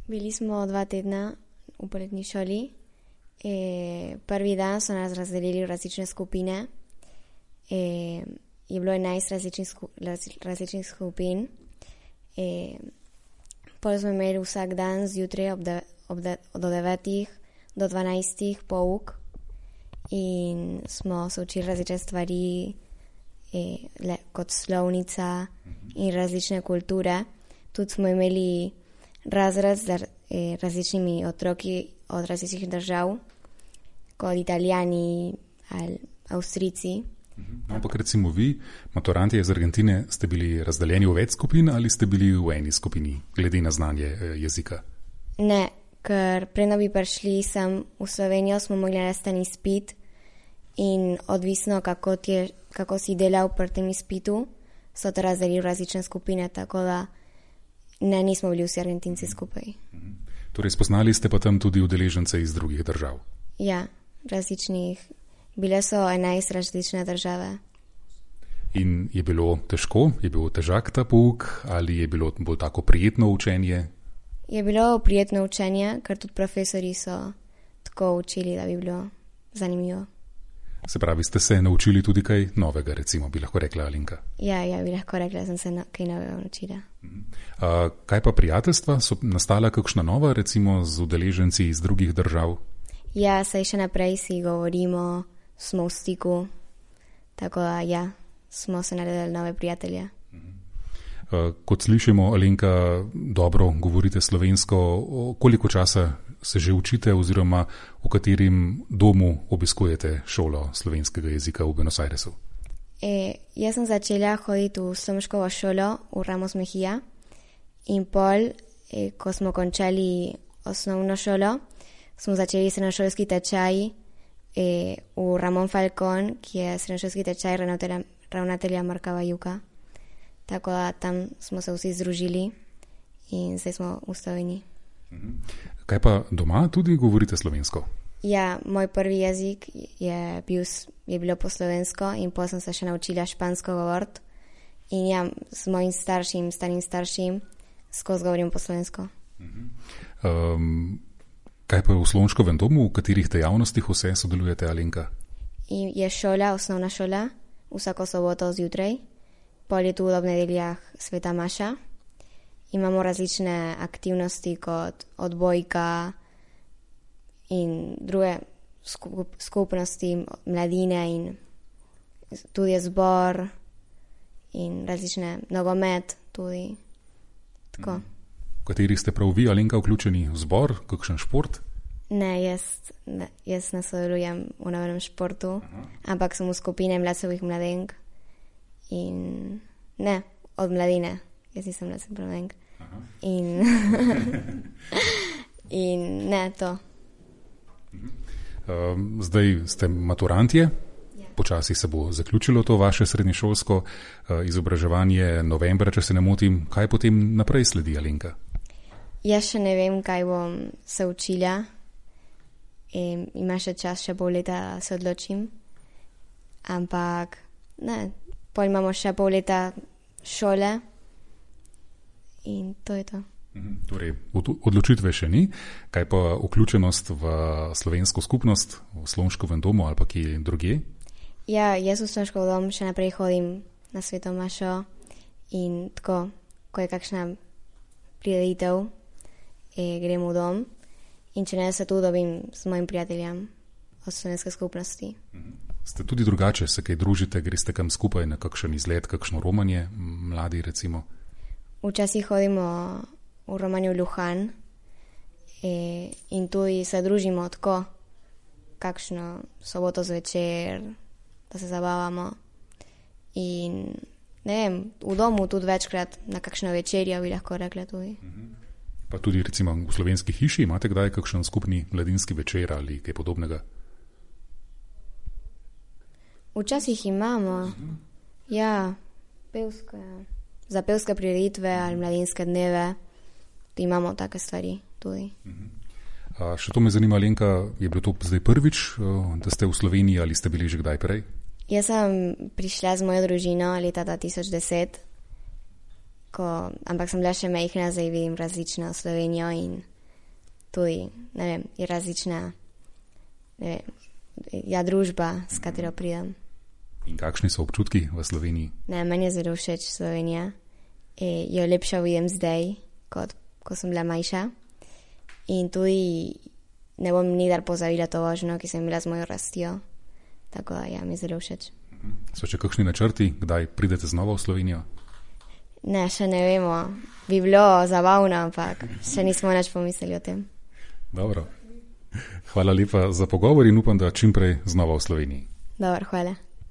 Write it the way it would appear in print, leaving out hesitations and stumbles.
Bili smo 2 tedna v poletni šoli. Prvi dan so nas razdelili v različne skupine. Je bilo 11 različnih skupin. Pol smo imeli vsak dan zjutraj od 9 do 12 pouk in smo se učili različne stvari, kot slovnica in različne kulture. Tudi smo imeli razred z različnimi otroki od različnih držav, kot Italijani ali Avstrijci. Ampak recimo vi, maturanti iz Argentine, ste bili razdeljeni v več skupin ali ste bili v eni skupini, glede na znanje jezika? Ne, ker preden bi prišli sem v Slovenijo, smo mogli narediti ten izpit in odvisno, kako si delal pri tem izpitu, so te razdelili v različne skupine, tako da ne, nismo bili vsi Argentinci skupaj. Torej, spoznali ste pa tam tudi udeležence iz drugih držav? Ja, različnih. Bile so 11 različne države. In je bilo težko? Je bil težak ta pouk ali je bilo bolj tako prijetno učenje? Je bilo prijetno učenje, ker tudi profesori so tako učili, da bi bilo zanimivo. Se pravi, ste se naučili tudi kaj novega, recimo, bi lahko rekla Alenka? Ja, bi lahko rekla, da sem se kaj novega naučila. Kaj pa prijateljstva? So nastala kakšna nova, recimo, z udeleženci iz drugih držav? Ja, saj še naprej si govorimo, smo v stiku, tako da ja, smo se naredili nove prijatelje. Kot slišimo, Alenka, dobro govorite slovensko. Koliko časa se že učite oziroma v katerem domu obiskujete šolo slovenskega jezika v Buenos Airesu? Jaz sem začela hoditi v slovenškovo šolo v Ramos Mejía in pol, ko smo končali osnovno šolo, smo začeli srednjošolski tečaj v Ramón Falcón, ki je srednjošolski tečaj ravnatelja Marka Bajuka. Tako da tam smo se vsi združili in zdaj smo v Sloveniji. Kaj pa doma tudi govorite slovensko? Ja, moj prvi jezik je bilo po slovensko in potem sem se še naučila špansko govoriti. In ja, s mojim starim staršim, skozi govorim po slovensko. Kaj pa v Slonškovem domu, v katerih dejavnostih vse sodelujete, Alenka? Je šola, osnovna šola, vsako soboto zjutraj. Pol je tu ob nedeljah sveta maša. Imamo različne aktivnosti kot odbojka in druge skupnosti mladine in tudi zbor in različne nogomet tudi. Tako. V katerih ste prav vi, Alenka, vključeni v zbor, kakšen šport? Ne, jaz ne sodelujem v nobenem športu, ampak sem v skupine mladcevih mladenk. In ne, od mladine. Jaz nisem mladenk. In ne, to. Zdaj ste maturantje. Počasi se bo zaključilo to vaše srednješolsko izobraževanje novembra, če se ne motim. Kaj potem naprej sledi, Alenka? Jaz še ne vem, kaj bom se učila. Ima še čas, še pol leta se odločim. Ampak ne, pol imamo še pol leta šole in to je to. Torej, odločitve še ni. Kaj pa vključenost v slovensko skupnost, v Slonškovem domu ali pa kje drugje? Ja, jaz v Slonškov dom še naprej hodim na sveto mašo in tako, ko je kakšna prireditev, grem v dom in če ne, se tu dobim s mojim prijateljem od slovenske skupnosti. Ste tudi drugače, se kaj družite, greste kam skupaj na kakšen izlet, kakšno romanje, mladi recimo? Včasih hodimo v romanje v Luján in tudi se družimo tako, kakšno soboto zvečer, da se zabavamo. In ne vem, v domu tudi večkrat na kakšno večerjo bi lahko rekla tudi. Pa tudi recimo v slovenski hiši imate kdaj kakšen skupni mladinski večer ali kaj podobnega? Včasih imamo, ja, za pevske prireditve ali mladinske dneve, imamo take stvari tudi. Še to me zanima, Alenka, je bilo to zdaj prvič, da ste v Sloveniji ali ste bili že kdaj prej? Jaz sem prišla z mojo družino leta 2010, ampak sem bila še majhna, zdaj vidim različno Slovenijo in tudi, ne vem, je različna, ne vem, družba, s katero pridem. In kakšni so občutki v Sloveniji? Ne, meni je zelo všeč Slovenija. Jo lepša vidim zdaj, kot ko sem bila majša. In tudi ne bom nikdar pozabila to vožnjo, ki sem imela z mojo rastjo. Tako da, ja, mi je zelo všeč. So še kakšni načrti, kdaj pridete znova v Slovenijo? Ne, še ne vemo. Bi bilo zabavno, ampak še nismo nič pomislili o tem. Dobro. Hvala lepa za pogovor in upam, da čim prej znova v Sloveniji. Dobro, hvala.